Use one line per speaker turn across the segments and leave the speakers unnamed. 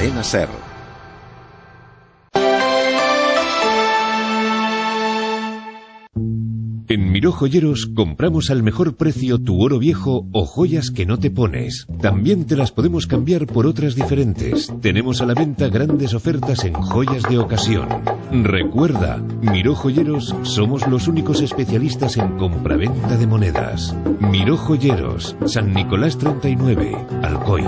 Cadena SER. En Miró Joyeros compramos al mejor precio tu oro viejo o joyas que no te pones. También te las podemos cambiar por otras diferentes. Tenemos a la venta grandes ofertas en joyas de ocasión. Recuerda, Miró Joyeros somos los únicos especialistas en compraventa de monedas. Miró Joyeros, San Nicolás 39, Alcoy.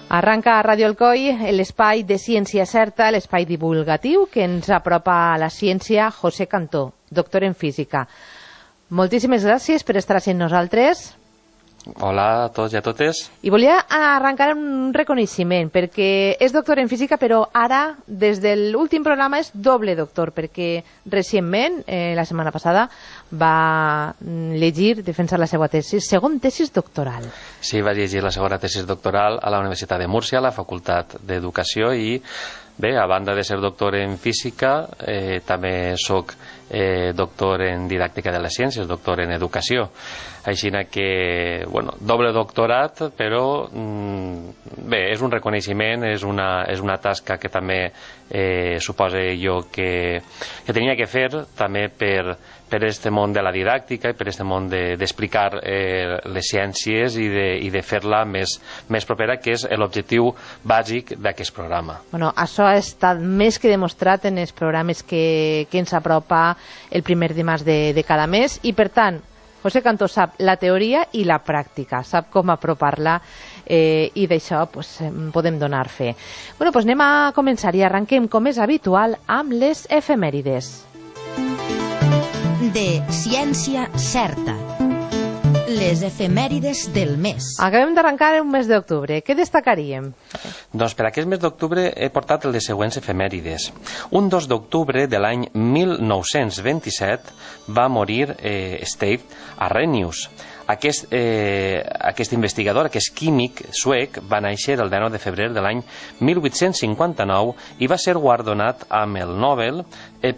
Arranca a Ràdio Alcoi l'espai de Ciència Certa, l'espai divulgatiu que ens apropa a la ciència. José Cantó, doctor en física. Moltíssimes gràcies per estar amb nosaltres.
Hola a tots i a totes.
I volia arrencar amb un reconeixement, perquè és doctor en física, però ara, des de l'últim programa, és doble doctor, perquè recentment, la setmana passada, va llegir, defensar la seva tesis, segon tesis doctoral.
Sí, va llegir la segona tesis doctoral a la Universitat de Múrcia, a la Facultat d'Educació, i bé, a banda de ser doctor en física, també soc doctor en didàctica de les ciències, doctor en educació. Així que, bueno, doble doctorat, però bé, és un reconeixement, és una tasca que també suposa jo que tenia que fer també per aquest món de la didàctica i per aquest món d'explicar les ciències i de fer-la més propera, que és l'objectiu bàsic d'aquest programa.
Bueno, això ha estat més que demostrat en els programes que ens apropa el primer dimarts de cada mes, i per tant José Cantó sap la teoria i la pràctica, sap com apropar-la, i d'això podem donar fe. Bueno, doncs anem a començar i arrenquem, com és habitual, amb les efemèrides.
De Ciència Certa. Les efemèrides del mes.
Acabem d'arrencar un mes d'octubre. Què destacaríem?
Doncs per aquest mes d'octubre he portat les següents efemèrides. Un 2 d'octubre de l'any 1927 va morir Steve Arrhenius. Aquest investigador, aquest químic suec, va néixer el 19 de febrer de l'any 1859 i va ser guardonat amb el Nobel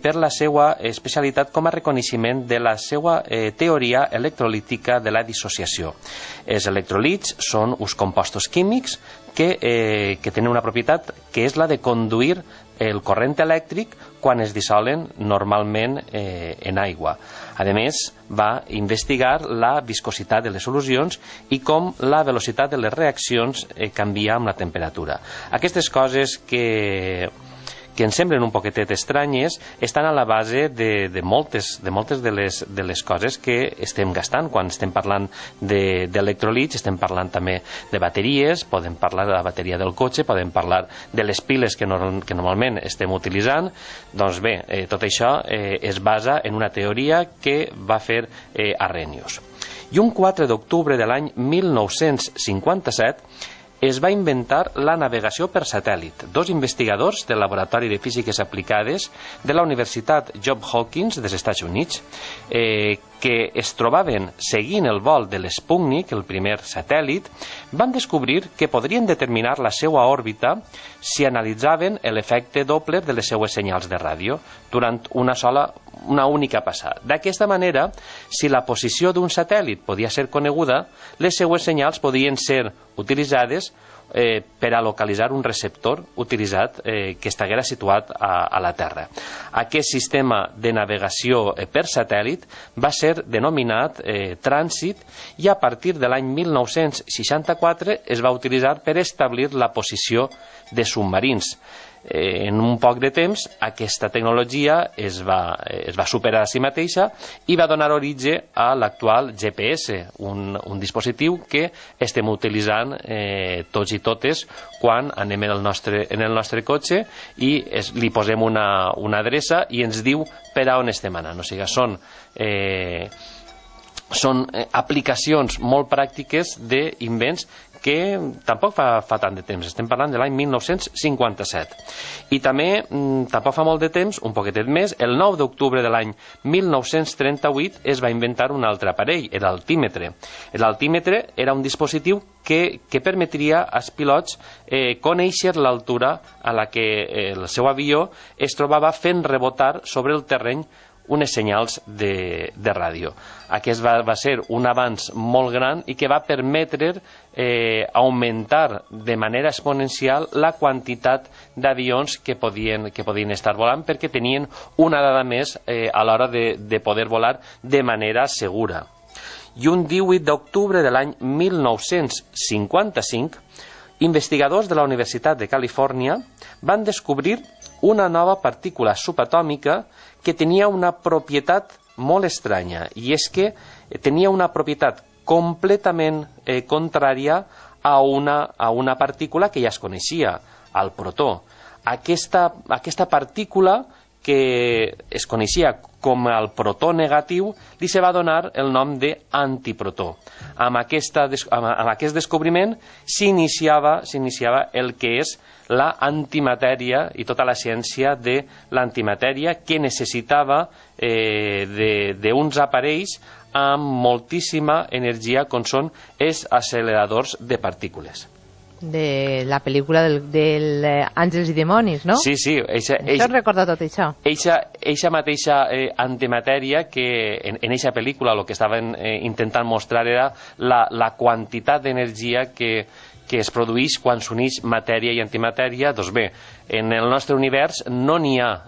per la seva especialitat com a reconeixement de la seva teoria electrolítica de la dissociació. Els electrolits són uns compostos químics que tenen una propietat que és la de conduir el corrent elèctric quan es dissolen normalment en aigua. A més, va investigar la viscositat de les solucions i com la velocitat de les reaccions canvia amb la temperatura. Aquestes coses que ens semblen un poquetet estranyes estan a la base de moltes de les coses que estem gastant. Quan estem parlant d'electrolits, estem parlant també de bateries, podem parlar de la bateria del cotxe, podem parlar de les piles que normalment estem utilitzant. Doncs bé, tot això es basa en una teoria que va fer Arrhenius. I un 4 d'octubre de l'any 1957 es va inventar la navegació per satèl·lit. Dos investigadors del Laboratori de Físiques Aplicades de la Universitat Johns Hopkins dels Estats Units, que es trobaven seguint el vol de l'Sputnik, el primer satèl·lit, van descobrir que podrien determinar la seva òrbita si analitzaven l'efecte Doppler de les seues senyals de ràdio durant una única passada. D'aquesta manera, si la posició d'un satèl·lit podia ser coneguda, les seues senyals podien ser utilitzades per a localitzar un receptor utilitzat que estiguera situat a la Terra. Aquest sistema de navegació per satèl·lit va ser denominat trànsit i a partir de l'any 1964 es va utilitzar per establir la posició de submarins. En un poc de temps aquesta tecnologia es va superar a si mateixa i va donar origen a l'actual GPS, un dispositiu que estem utilitzant tots i totes quan anem en el nostre cotxe i li posem una adreça i ens diu per a on estem anant. O sigui, són són aplicacions molt pràctiques d'invents que tampoc fa tant de temps, estem parlant de l'any 1957. I també, tampoc fa molt de temps, un poquetet més, el 9 d'octubre de l'any 1938 es va inventar un altre aparell, l'altímetre. L'altímetre era un dispositiu que permetria als pilots conèixer l'altura a la que el seu avió es trobava fent rebotar sobre el terreny unes senyals de ràdio. Aquest va ser un avanç molt gran i que va permetre augmentar de manera exponencial la quantitat d'avions que podien estar volant, perquè tenien una dada més a l'hora de poder volar de manera segura. I un 18 d'octubre de l'any 1955, investigadors de la Universitat de Califòrnia van descobrir una nova partícula subatòmica que tenia una propietat molt estranya, i és que tenia una propietat completament contrària a una partícula que ja es coneixia, el protó. Aquesta partícula, que es coneixia com el protó negatiu, li se va donar el nom d'antiprotó. Amb aquest descobriment s'iniciava el que és la antimatèria i tota la ciència de l'antimatèria, que necessitava d'uns aparells amb moltíssima energia, com són els acceleradors de partícules.
De la pel·lícula del Àngels i Dimonis, no?
Sí.
Això recorda tot això.
Eixa mateixa antimatèria, que en eixa pel·lícula el que estaven intentant mostrar era la quantitat d'energia que es produeix quan s'uneix matèria i antimatèria. Doncs bé, en el nostre univers no n'hi ha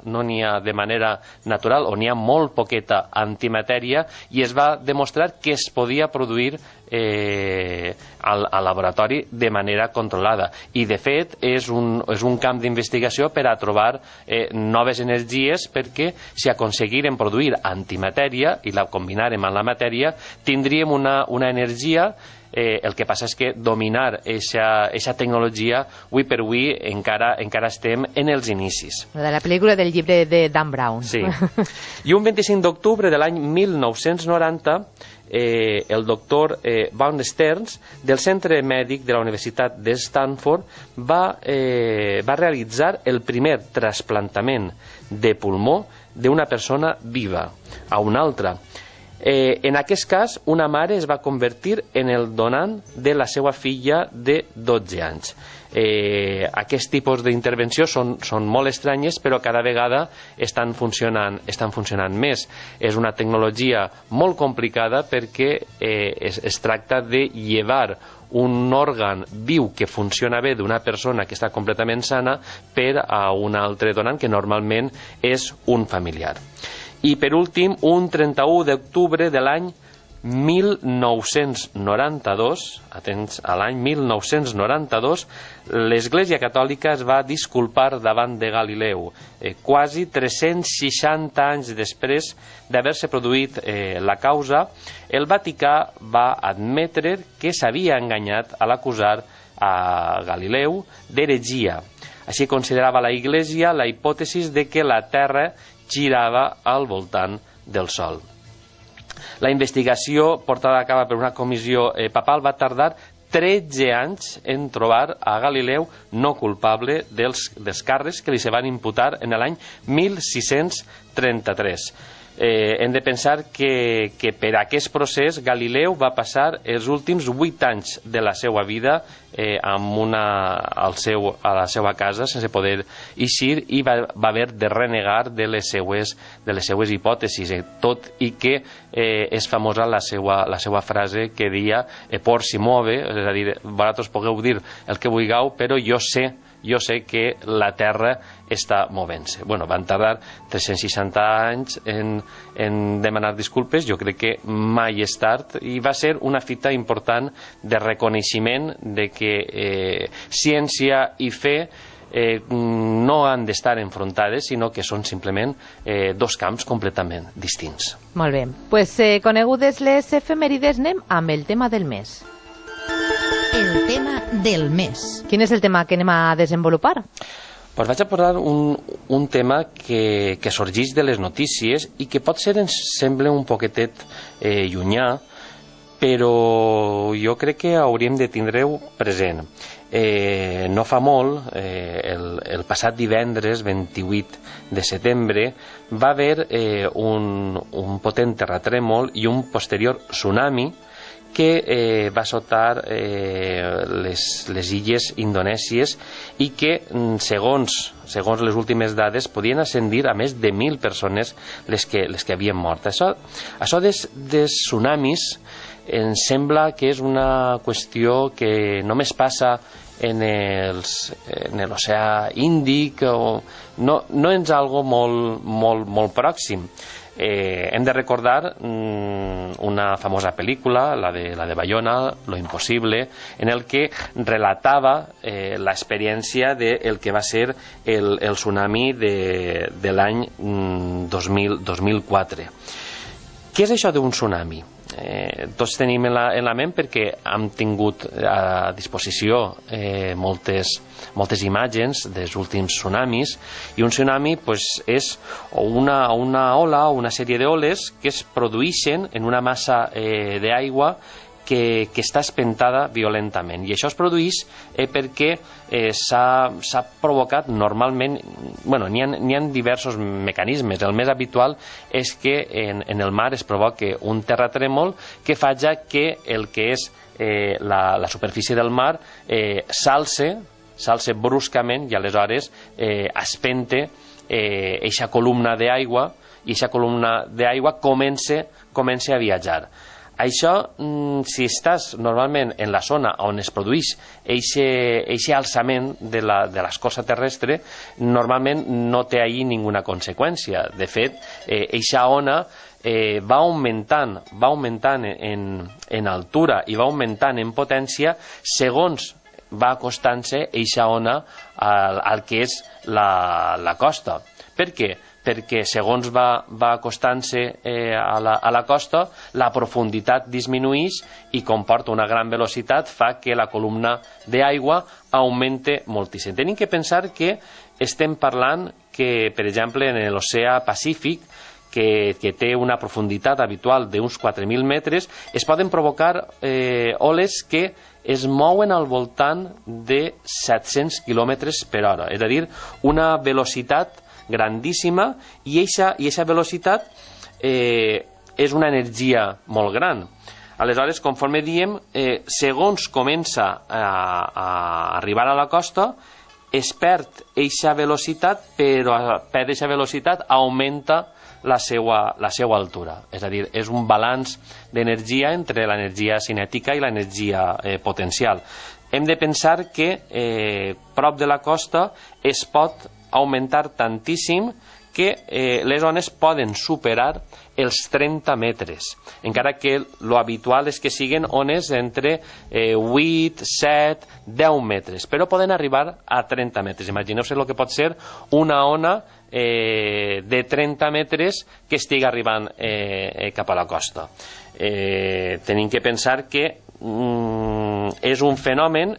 de manera natural, o n'hi ha molt poqueta antimatèria, i es va demostrar que es podia produir al laboratori de manera controlada. I de fet és un camp d'investigació per a trobar noves energies, perquè si aconseguirem produir antimatèria i la combinarem amb la matèria, tindríem una energia. El que passa és que dominar aquesta tecnologia, avui per avui, encara estem en els inicis.
De la pel·lícula del llibre de Dan Brown.
Sí. I un 25 d'octubre de l'any 1990, el doctor Von Stearns, del Centre Mèdic de la Universitat de Stanford, va realitzar el primer trasplantament de pulmó d'una persona viva a una altra. En aquest cas, una mare es va convertir en el donant de la seva filla de 12 anys. Aquest tipus d'intervenció són molt estranyes, però cada vegada estan funcionant més. És una tecnologia molt complicada, perquè es tracta de llevar un òrgan viu que funciona bé d'una persona que està completament sana per a un altre donant, que normalment és un familiar. I per últim, un 31 d'octubre de l'any 1992, atents a l'any 1992, l'Església Catòlica es va disculpar davant de Galileu. Quasi 360 anys després d'haver-se produït la causa, el Vaticà va admetre que s'havia enganyat a l'acusar a Galileu d'heretgia. Així considerava la Iglesia la hipòtesi de que la Terra girava al voltant del Sol. La investigació portada a cabo per una comissió papal va tardar 13 anys en trobar a Galileu no culpable dels càrrecs que li se van imputar en l'any 1633. Hem de pensar que per aquest procés Galileu va passar els últims 8 anys de la seva vida a la seva casa sense poder eixir, i va haver de renegar de les seues hipòtesis, tot i que és famosa la seva frase que deia por si mueve, és a dir, vosaltres podeu dir el que vulgueu, però jo sé que la Terra està movent-se. Van tardar 360 anys en demanar disculpes. Jo crec que mai és tard, i va ser una fita important de reconeixement de que ciència i fe no han d'estar enfrontades, sinó que són simplement dos camps completament distints.
Molt bé. Conegudes les efemèrides, anem amb el tema del mes.
El tema del mes.
Quin és el tema que anem a desenvolupar?
Vaig a posar un tema que sorgeix de les notícies i que potser ens sembla un poquetet llunyà, però jo crec que hauríem de tindre-ho present. No fa molt, el passat divendres 28 de setembre va haver un potent terratrèmol i un posterior tsunami que va assotar les illes indonèsies i que, segons les últimes dades, podien ascendir a més de 1.000 persones les que havien mort. Això dels tsunamis em sembla que és una qüestió que només passa en l'oceà Índic, no és algo molt pròxim. Hem de recordar una famosa pel·lícula, la de Bayona, Lo imposible, en el que relatava l'experiència del que va ser el tsunami de l'any 2004. Què és això d'un tsunami? Tots tenim en la ment perquè hem tingut a disposició moltes imatges dels últims tsunamis, i un tsunami és una ola o una sèrie d'oles que es produeixen en una massa d'aigua que està espentada violentament, i això es produeix perquè s'ha provocat normalment, n'hi ha diversos mecanismes. El més habitual és que en el mar es provoque un terratrèmol que faci que el que és la superfície del mar s'alce bruscament, i aleshores espente eixa columna d'aigua, i eixa columna d'aigua comença a viatjar. Això, si estàs normalment en la zona on es produeix eixe alçament de l'escorça terrestre, normalment no té ahí ninguna conseqüència. De fet, eixa ona va augmentant en altura i va augmentant en potència segons va acostant-se eixa ona al que és la costa. Per què? Perquè segons va acostant-se a la costa, la profunditat disminueix i comporta una gran velocitat, fa que la columna d'aigua augmente moltíssim. Tenim que pensar que estem parlant que, per exemple, en l'oceà Pacífic, que té una profunditat habitual d'uns 4.000 metres, es poden provocar oles que es mouen al voltant de 700 km per hora, és a dir, una velocitat grandíssima, i eixa velocitat és una energia molt gran. Aleshores, conforme diem, segons comença a arribar a la costa, es perd eixa velocitat, però per eixa velocitat augmenta la seva altura. És a dir, és un balanç d'energia entre l'energia cinètica i l'energia potencial. Hem de pensar que prop de la costa es pot augmentar tantíssim que les ones poden superar els 30 metres, encara que l'habitual és que siguin ones entre 8, 7, 10 metres, però poden arribar a 30 metres. Imagineu-se el que pot ser una ona de 30 metres que estigui arribant cap a la costa. Tenim que pensar que és un fenomen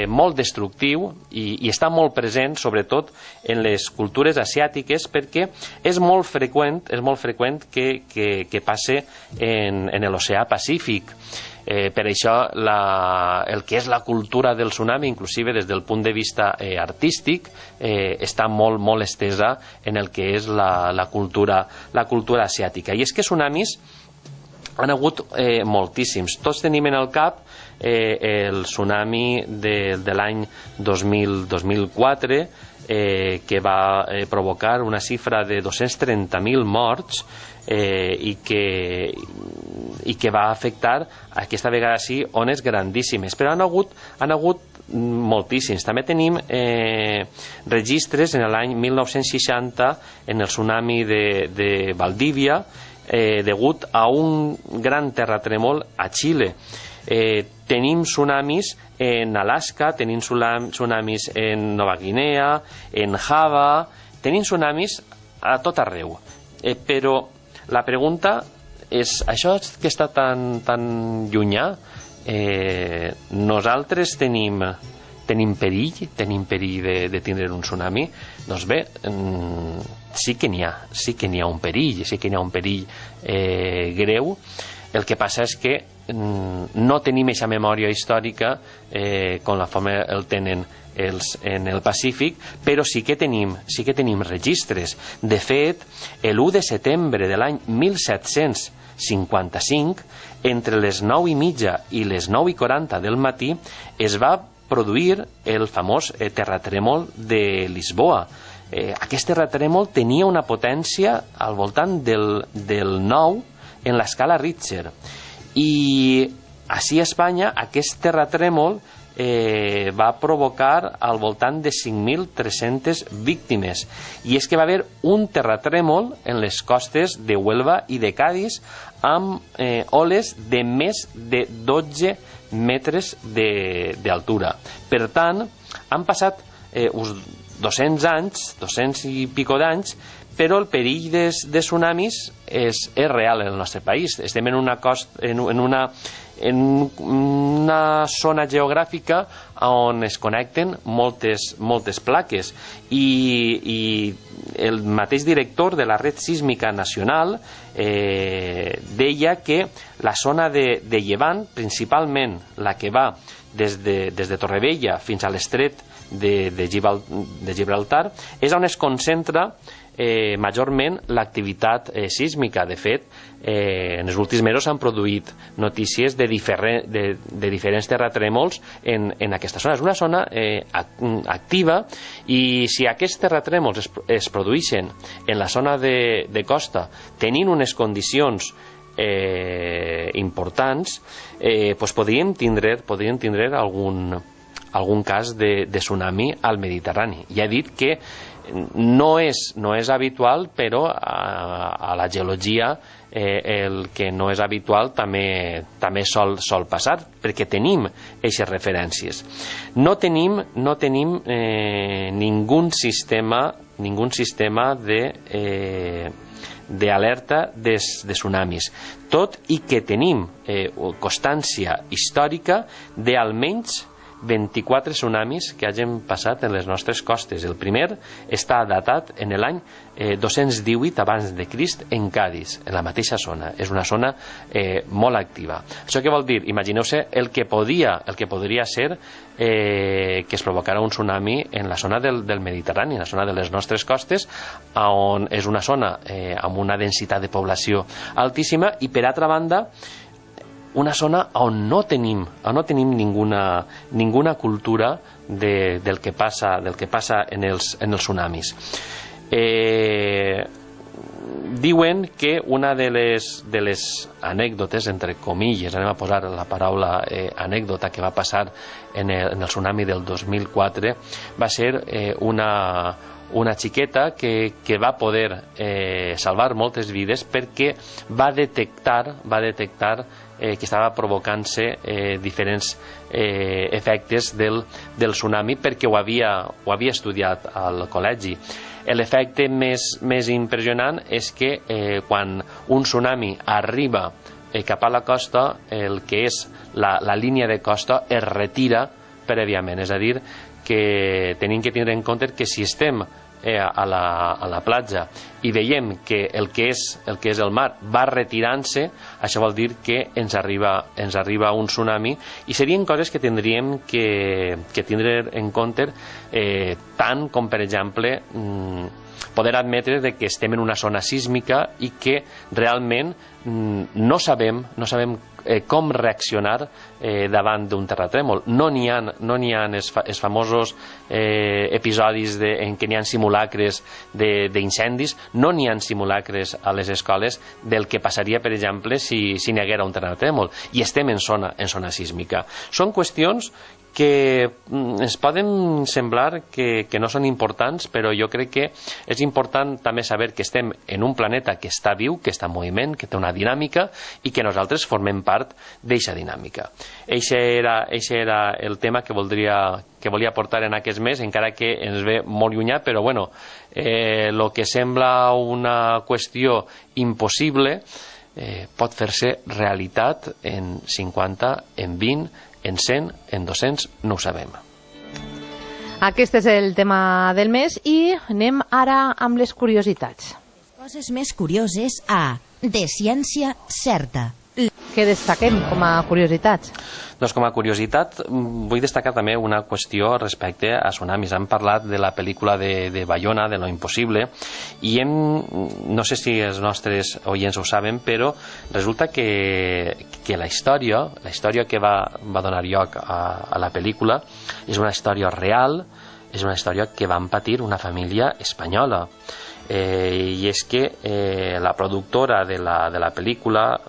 molt destructiu i està molt present sobretot en les cultures asiàtiques, perquè és molt freqüent que passe en l'oceà Pacífic. Per això el que és la cultura del tsunami, inclusive des del punt de vista artístic, està molt estesa en el que és la cultura asiàtica. I és que tsunamis han hagut moltíssims. Tots tenim en el cap el tsunami de l'any 2004, que va provocar una xifra de 230.000 morts i que va afectar, aquesta vegada sí, ones grandíssimes. Però han hagut moltíssims. També tenim registres en l'any 1960 en el tsunami de Valdivia, degut a un gran terratrèmol a Xile. Tenim tsunamis en Alaska, tenim tsunamis en Nova Guinea, en Java, tenim tsunamis a tot arreu. Però la pregunta és, això que està tan llunyà, nosaltres tenim perill de tindre un tsunami? Doncs bé, sí que n'hi ha un perill greu. El que passa és que no tenim aquesta memòria històrica com la forma el tenen en el Pacífic, però sí que tenim registres. De fet, l'1 de setembre de l'any 1755, entre les 9:30 i les 9:40 del matí, es va produir el famós terratrèmol de Lisboa. Aquest terratrèmol tenia una potència al voltant del 9 en l'escala Richter, i així a Espanya aquest terratrèmol va provocar al voltant de 5.300 víctimes, i és que va haver un terratrèmol en les costes de Huelva i de Cádiz amb oles de més de 12 metres d'altura. Per tant, han passat uns 200 anys, 200 i pico d'anys, però el perill de tsunamis és real en el nostre país. Estem en una zona geogràfica on es connecten moltes plaques, i el mateix director de la Red Sísmica Nacional deia que la zona de Llevant, principalment la que va des de Torrevella fins a l'estret de Gibraltar, és on es concentra majorment l'activitat sísmica. De fet, en els últims mesos s'han produït notícies de diferents terratrèmols en aquesta zona. És una zona activa, i si aquests terratrèmols es produeixen en la zona de costa tenint unes condicions importants, podríem tindre algun cas de tsunami al Mediterrani. Ja he dit que no és habitual, però a la geologia el que no és habitual també sol passar, perquè tenim aquestes referències. No tenim ningun sistema d'alerta de tsunamis, tot i que tenim constància històrica d'almenys 24 tsunamis que hagin passat en les nostres costes. El primer està datat en l'any 218 abans de Crist en Cádiz, en la mateixa zona. És una zona molt activa. Això què vol dir? Imagineu-se el que podria ser que es provocara un tsunami en la zona del Mediterrani, en la zona de les nostres costes, on és una zona amb una densitat de població altíssima, i per altra banda una zona on no tenim ninguna cultura del que passa en els tsunamis. Diuen que una de les anècdotes, entre comilles, anem a posar la paraula anècdota, que va passar en el tsunami del 2004 va ser una xiqueta que va poder salvar moltes vides perquè va detectar que estava provocant-se diferents efectes del tsunami, perquè ho havia estudiat al col·legi. L'efecte més impressionant és que quan un tsunami arriba cap a la costa, el que és la línia de costa es retira prèviament. És a dir, que tenim que tindre en compte que si estem a la platja i veiem que el que és el mar va retirant-se, això vol dir que ens arriba un tsunami, i serien coses que tindríem que tindre en compte, tant com, per exemple, poder admetre que estem en una zona sísmica i que realment no sabem com reaccionar davant d'un terratrèmol. No n'hi ha els famosos episodis en què n'hi ha simulacres d'incendis, no n'hi ha simulacres a les escoles del que passaria, per exemple, si n'hi haguera un terratrèmol, i estem en zona sísmica. Són qüestions que ens poden semblar que no són importants, però jo crec que és important també saber que estem en un planeta que està viu, que està en moviment, que té una dinàmica, i que nosaltres formem part d'aquesta dinàmica. Eixe era el tema que volia portar en aquest mes, encara que ens ve molt llunyà, però bueno, el que sembla una qüestió impossible pot fer-se realitat en 50, en 20, en 100, en 200, no ho sabem.
Aquest és el tema del mes, i anem ara amb les curiositats.
Les coses més curioses a De Ciència Certa.
Què destaquem com a curiositats?
Doncs com a curiositat vull destacar també una qüestió respecte a tsunamis. Hem parlat de la pel·lícula de Bayona, de Lo Impossible, i no sé si els nostres oients ho saben, però resulta que la història que va donar lloc a la pel·lícula és una història real, és una història que van patir una família espanyola. I és que la productora de la pel·lícula,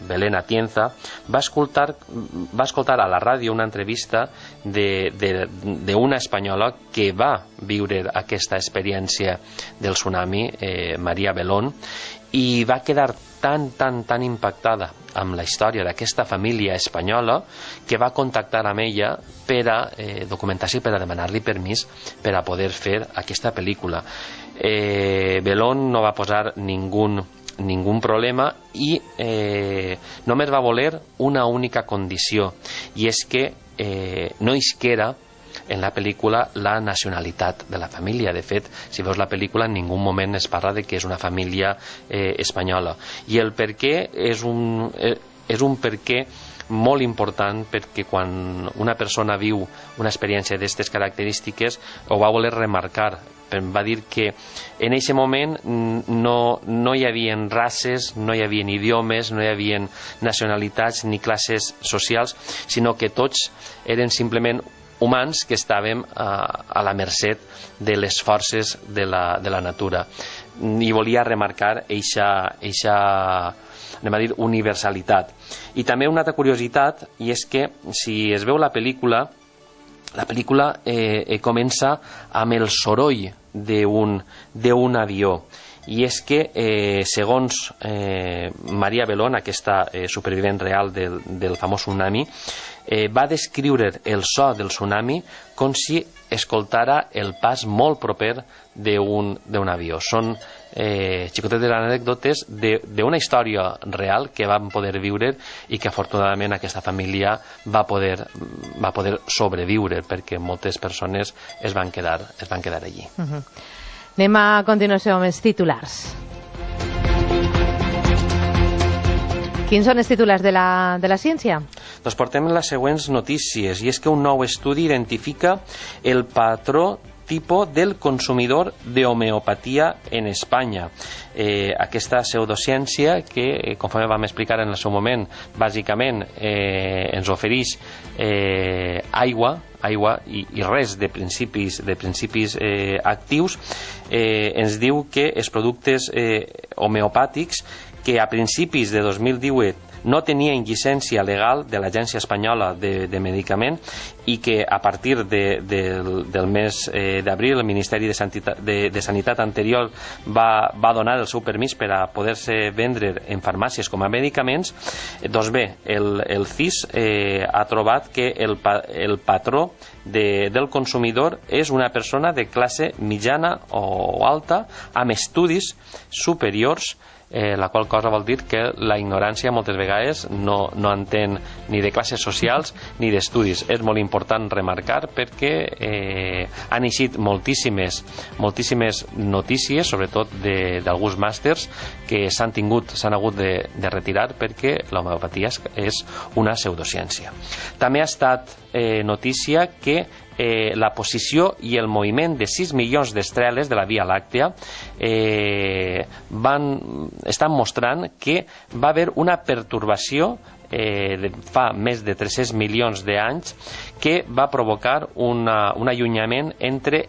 Belén Atienza, va escoltar a la ràdio una entrevista d'una espanyola que va viure aquesta experiència del tsunami, María Belón, i va quedar tan impactada amb la història d'aquesta família espanyola que va contactar amb ella per a documentació, per a demanar-li permís per a poder fer aquesta pel·lícula. Belón no va posar ningún problema i només va voler una única condició, i és que no isquera en la pel·lícula la nacionalitat de la família. De fet, si veus la pel·lícula, en ningú moment es parla de que és una família espanyola. I el per què és un per què molt important, perquè quan una persona viu una experiència d'aquestes característiques ho va voler remarcar. Va dir que en aquest moment no hi havia races, no hi havia idiomes, no hi havia nacionalitats ni classes socials, sinó que tots eren simplement humans que estàvem a la mercè de les forces de la natura. I volia remarcar eixa anem a dir, universalitat. I també una altra curiositat, i és que si es veu la pel·lícula comença amb el soroll d'un avió. I és que, segons María Belón, aquesta supervivent real del famós tsunami, va descriure el so del tsunami com si escoltara el pas molt proper d'un avió. Són xicotetes anècdotes d'una història real que vam poder viure i que afortunadament aquesta família va poder sobreviure, perquè moltes persones es van quedar allí.
Anem a continuació amb els titulars. Quins són els titulars de la ciència?
Doncs portem les següents notícies, i és que un nou estudi identifica el patró tipo del consumidor de homeopatia en Espanya. Aquesta pseudociència que, conforme vam explicar en el seu moment, bàsicament ens ofereix aigua i res de principis actius, ens diu que els productes homeopàtics que a principis de 2018 no tenien llicència legal de l'Agència Espanyola de Medicament i que a partir del mes d'abril el Ministeri de Sanitat anterior va donar el seu permís per a poder-se vendre en farmàcies com a medicaments. Doncs bé, el CIS ha trobat que el patró del consumidor és una persona de classe mitjana o alta amb estudis superiors, la qual cosa vol dir que la ignorància moltes vegades no entén ni de classes socials ni d'estudis. És molt important remarcar perquè han eixit moltíssimes notícies, sobretot d'alguns màsters que s'han hagut de retirar perquè l'homeopatia és una pseudociència. També ha estat notícia que la posició i el moviment de 6 milions d'estreles de la Via Làctea estan mostrant que va haver una pertorbació fa més de 300 milions d'anys que va provocar un allunyament entre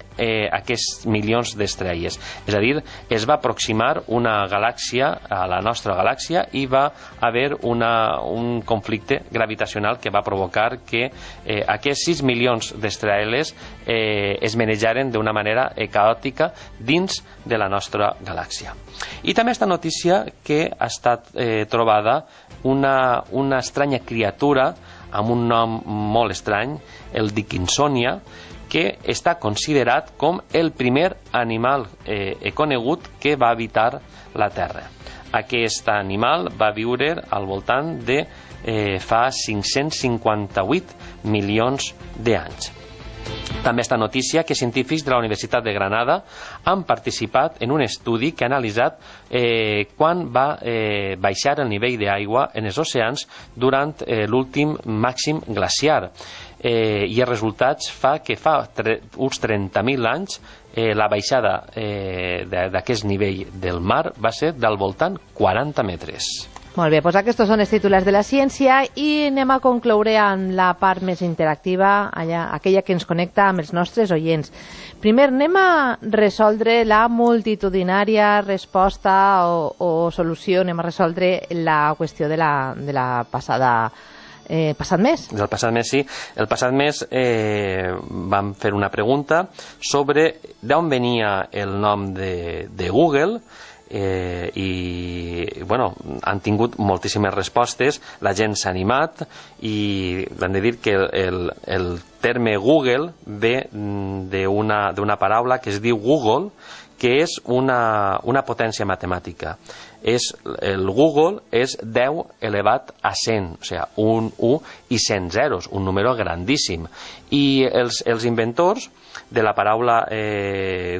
aquests milions d'estrelles. És a dir, es va aproximar una galàxia a la nostra galàxia i va haver un conflicte gravitacional que va provocar que aquests 6 milions d'estrelles es manejaren d'una manera caòtica dins de la nostra galàxia. I també esta notícia que ha estat trobada una estranya criatura amb un nom molt estrany, el Dickinsonia, que està considerat com el primer animal conegut que va habitar la Terra. Aquest animal va viure al voltant de fa 558 milions d'anys. També està notícia que científics de la Universitat de Granada han participat en un estudi que ha analitzat quan va baixar el nivell d'aigua en els oceans durant l'últim màxim glaciar. I els resultats fa que fa uns 30.000 anys la baixada d'aquest nivell del mar va ser del voltant 40 metres.
Molt bé, doncs aquests són els titulars de la ciència i anem a concloure amb la part més interactiva, aquella que ens connecta amb els nostres oients. Primer, anem a resoldre la multitudinària resposta o solució, anem a resoldre la qüestió de la passat mes.
Del passat mes, sí. El passat mes vam fer una pregunta sobre d'on venia el nom de Google, i bueno, han tingut moltíssimes respostes, la gent s'ha animat i hem de dir que el terme Google ve d'una paraula que es diu Google, que és una potència matemàtica. El Google és 10 elevat a 100, o sigui, un 1 i 100 zeros, un número grandíssim. I els inventors de la paraula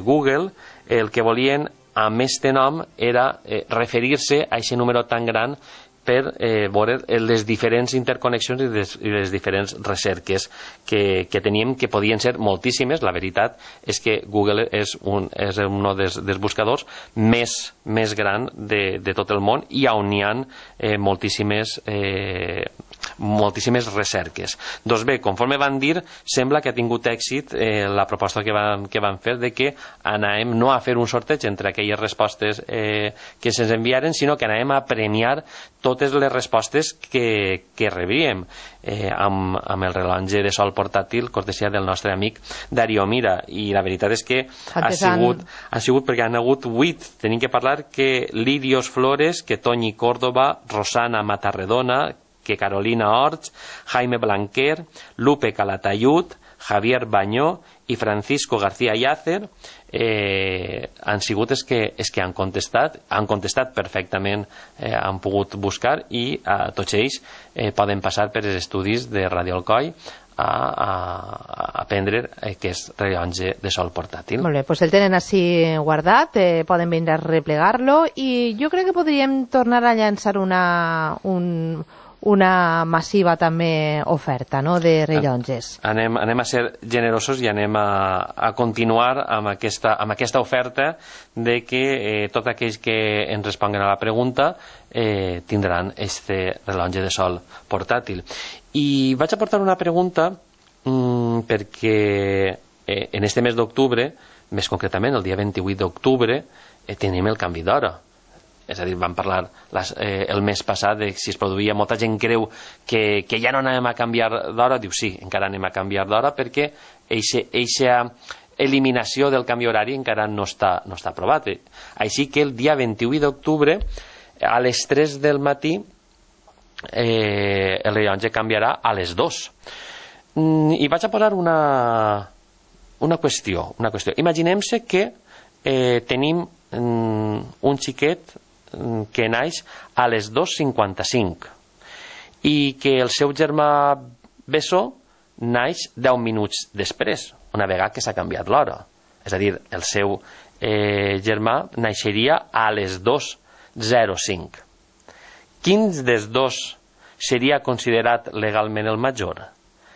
Google el que volien amb este nom era referir-se a aquest número tan gran per veure les diferents interconnexions i les diferents recerques que teníem, que podien ser moltíssimes. La veritat és que Google és un dels buscadors més gran de tot el món i on hi ha moltíssimes recerques. Doncs bé, conforme van dir, sembla que ha tingut èxit la proposta que van fer de que anàvem no a fer un sorteig entre aquelles respostes que se'ns enviaren, sinó que anàvem a premiar totes les respostes que rebíem amb el rellotge de sol portàtil, cortesia del nostre amic Darío Mira. I la veritat és que ha sigut perquè han hagut 8. Tenim que parlar que Lirios Flores, que Toñi Córdoba, Rosana Matarredona, que Carolina Orts, Jaime Blanquer, Lupe Calatayud, Javier Bañó i Francisco García Yácer han sigut els que han contestat perfectament, han pogut buscar i tots ells poden passar per els estudis de Ràdio Alcoi a aprendre aquest rellotge de sol portàtil.
Molt bé, doncs el tenen així guardat, poden vindre a replegar-lo i jo crec que podríem tornar a llançar una massiva també oferta, no?, de rellotges.
Anem a ser generosos i anem a continuar amb aquesta oferta de que tots aquells que ens responguen a la pregunta tindran este rellotge de sol portàtil. I vaig a portar una pregunta perquè en este mes d'octubre, més concretament el dia 28 d'octubre, tenim el canvi d'hora. És a dir, vam parlar el mes passat de si es produïa, molta gent creu que ja no anem a canviar d'hora. Diu sí, encara anem a canviar d'hora perquè eixa eliminació del canvi horari encara no està aprovat. Així que el dia 28 d'octubre a les 3 del matí el rellotge canviarà a les 2. I vaig a posar una qüestió. Imaginem-se que tenim un xiquet que naix a les 2:55 i que el seu germà bessó naix 10 minuts després, una vegada que s'ha canviat l'hora. És a dir, el seu germà naixeria a les 2:05. Quin dels dos seria considerat legalment el major?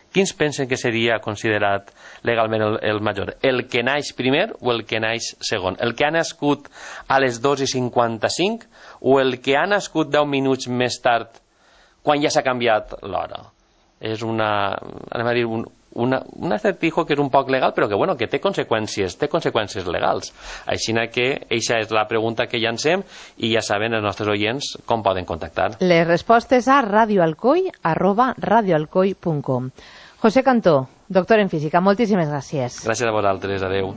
Quins pensen que seria considerat legalment el major? El que naix primer o el que naix segon? El que ha nascut a les 2:55 o el que ha nascut 10 minuts més tard quan ja s'ha canviat l'hora? És un acertijo que és un poc legal, però que té conseqüències legals. Així que eixa és la pregunta que llancem i ja saben els nostres oients com poden contactar.
Les respostes a radioalcoi@radioalcoi.com. José Cantó, doctor en física, moltíssimes gràcies.
Gràcies a vosaltres, adeu.